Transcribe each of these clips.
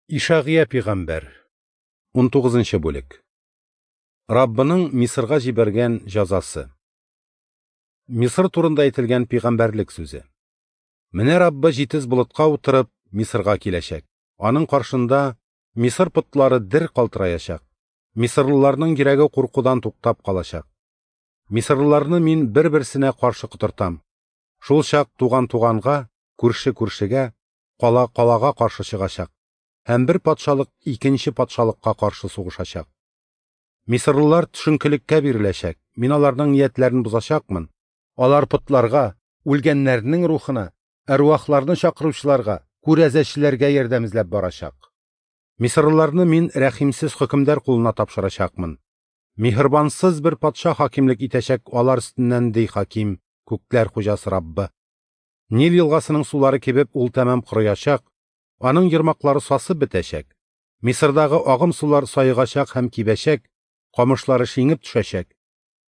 Ишагыя пигамбәр, 19 бүлек. Раббының Мисырга җибәргән җәзасы. Мисыр турында әйтелгән пигамбәрлек сүзе. Менә Раббы җитез болытка утырып Мисырга киләчәк. Аның каршында Мисыр потлары дер калтыраячак. Мисырлыларның йөрәге куркудан туктап калачак. Мисырлыларны мин бер-берсенә каршы котыртам. Шул чак туган туганга, күрше күршегә, кала калага каршы чыгачак. Һәм бер патшалык икенче патшалыкка каршы сугышачак. Мисырлылар төшенкелеккә биреләчәк. Мин аларның ниятләрен бозачакмын. Алар потларга, үлгәннәрнең рухына, әрвахларны чакыручыларга, күрәзәчеләргә ярдәм эзләп барачак. Мисырлыларны мин рәхимсез хөкемдар кулына тапшырачакмын. Миһербансыз бер патша хакимлек итәчәк алар өстеннән, ди хаким, күкләр хуҗасы Раббы. Нил елгасының сулары кибеп, ул тәмам корыячак, аның ермаклары сасып бетәчәк. Мисырдагы агым сулар саегачак һәм кибәчәк, камышлары шиңеп төшәчәк.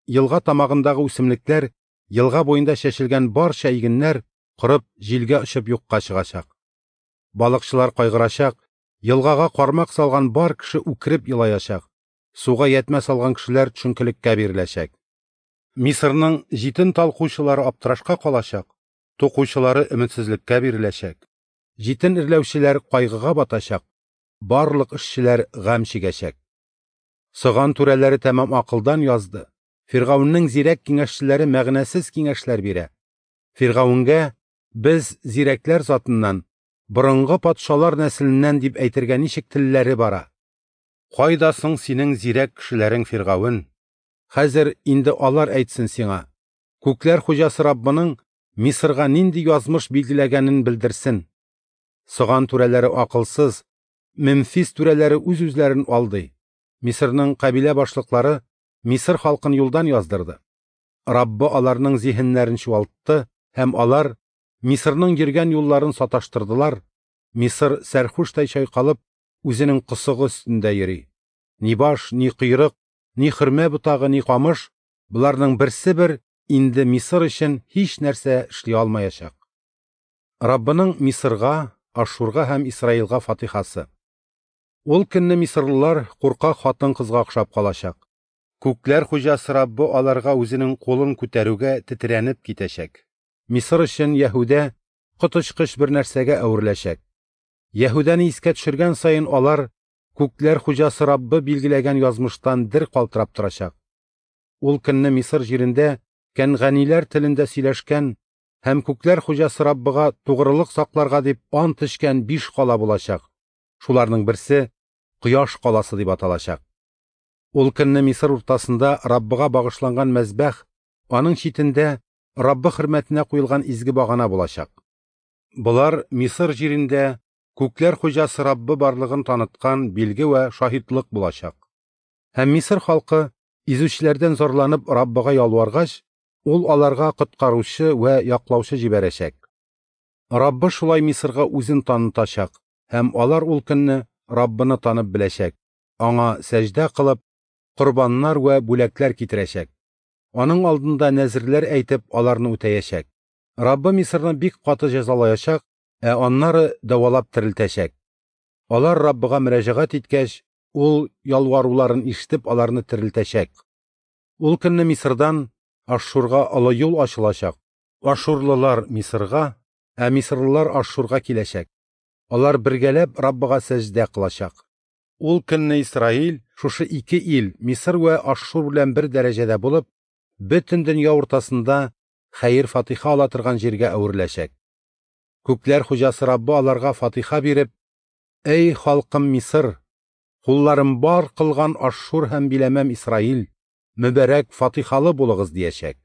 Елга тамагындагы үсемлекләр, елга буенда чәчелгән барча игеннәр корып, җилгә очып юкка чыгачак. Балыкчылар кайгырачак, елгага кармак салган бар кеше үкереп елаячак, суга ятмә салган кешеләр төшенкелеккә биреләчәк. Мисырның җитен талкучылары аптырашка калачак, тукучылары өметсезлеккә биреләчәк. Җитен эрләүчеләр кайгыга батачак, барлык эшчеләр гам чигәчәк. Соган түрәләре тәмам акылдан язды. Фиргавеннең зирәк киңәшчеләре мәгънәсез киңәшләр бирә. Фиргавенгә без зирәкләр затыннан, борынгы патшалар нәселеннән дип әйтергә ничек телләре бара? Кайда соң синең зирәк кешеләрең, Фиргавен? Хәзер инде алар әйтсен сиңа. Күкләр хуҗасы Раббының Мисырга нинди язмыш билгеләгәнен белдерсен. Соган түрәләре акылсыз, Мемфис түрәләре үз-үзләрен алдый. Мисырның кабилә башлыклары Мисыр халкын юлдан яздырды. Раббы аларның зиһеннәрен чуалтты һәм алар Мисырның йөргән юлларын саташтырдылар. Мисыр сәрхүштай чайкалып үзенең косыгы өстендә йөри. Ни баш, ни койрык, ни хөрмә ботагы, ни камыш, боларның берсе бер инде Мисыр өчен һич нәрсә эшли алмаячак. Раббының Мисырга, Ашшурга һәм Исраилгә фатихасы. Ул көнне мисырлылар куркак хатын-кызга охшап калачак. Күкләр хуҗасы Раббы аларга үзенең кулын күтәрүгә тетрәнеп китәчәк. Мисыр өчен Яһүдә коточкыч бер нәрсәгә әвереләчәк. Яһүдәне искә төшергән саен алар күкләр хуҗасы Раббы билгеләгән язмыштан дер калтырап торачак. Ул көнне Мисыр җирендә кәнганиләр телендә сөйләшкән һәм күкләр хуҗасы Раббыга тугрылык сакларга дип ант эчкән 5 кала булачак. Шуларның берсе Кояш каласы дип аталачак. Ул көнне Мисыр уртасында Раббыга багышланган мәзбәх, аның читендә Раббы хөрмәтенә куелган изге багана булачак. Болар Мисыр җирендә күкләр хуҗасы Раббы барлыгын таныткан билге вә шаһитлык булачак. Һәм Мисыр халкы изүчеләрдән зарланып Раббыга ялваргач, ул аларга коткаручы вә яклаучы җибәрәчәк. Раббы шулай Мисырга үзен танытачак, һәм алар ул көнне Раббыны танып беләчәк, аңа сәҗдә кылып, корбаннар вә бүләкләр китерәчәк. Аның алдында нәзерләр әйтеп, аларны үтәячәк. Раббы Мисырны бик каты җәзалаячак, ә аннары дәвалап терелтәчәк. Алар Раббыга мөрәҗәгать иткәч, ул ялваруларын ишетеп, аларны терелтәчәк. Ул көнне Мисырдан Ашшурга олы юл ачылачак. Ашшурлылар Мисырга, ә мисырлылар Ашшурга киләчәк. Алар бергәләп Раббыга сәҗдә кылачак. Ул көнне Исраил шушы ике ил, Мисыр вә Ашшур белән бер дәрәҗәдә булып, бөтен дөнья уртасында хәер-фатиха ала торган җиргә әвереләчәк. Күкләр хуҗасы Раббы аларга фатиха биреп, «Әй халкым Мисыр, кулларым бар кылган Ашшур һәм биләмәм Исраил, мөбарәк фатихалы булыгыз» диячәк.